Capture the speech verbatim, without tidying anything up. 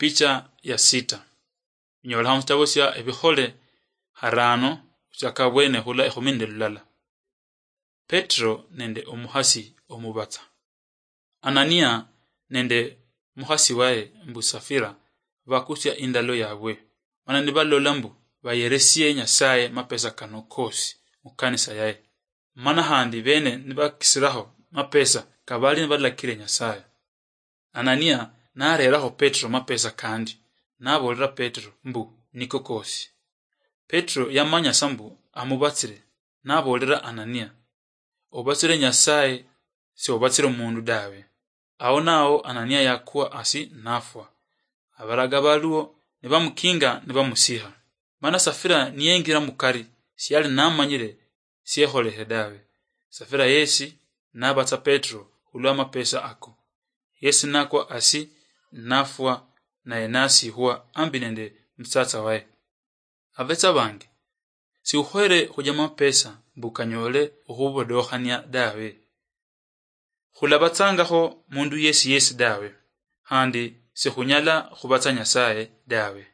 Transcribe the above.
Picha ya sita. Inyola hamusitabo sia Ebikhole harano, huchaka bwene hula ekhumi nende lulala. Petro nende omuhasi omubatsa. Anania nende muhasi waye mbu Safira bakusia indalo yabwe, mana nibalola mbu bayeresie Nyasaye mapesa kano kosi mukanisa yaye, mana handi bene nibakisiraho mapesa kabali nibalakire Nyasaye. Anania nareraho Petro mapesa kandi, nabolera Petro mbu niko kosi. Petro yamanya sa mbu amubatsire, nabolera Anania, "Obatsire Nyasaye, siobatsire omundu dawe." Ao nao Anania yakwa asi nafwa. Abaraga baluo nibamukinga nibamusiha. Mana Safira niyengira mukari, siali namanyire siekholehe dawe. Safira yesi nabatsa Petro hulwa mapesa ako. Yesi nakwa asi nafwa, naye nasihwa ambi nende musatsa waye. Abetsa bange, siukhwere khuja mapesa mbu kanyole okhubodokhania dawe. Khulabatsangakho mundu yesi yesi dawe, khandi sikhunyala khubatsa Nyasaye dawe.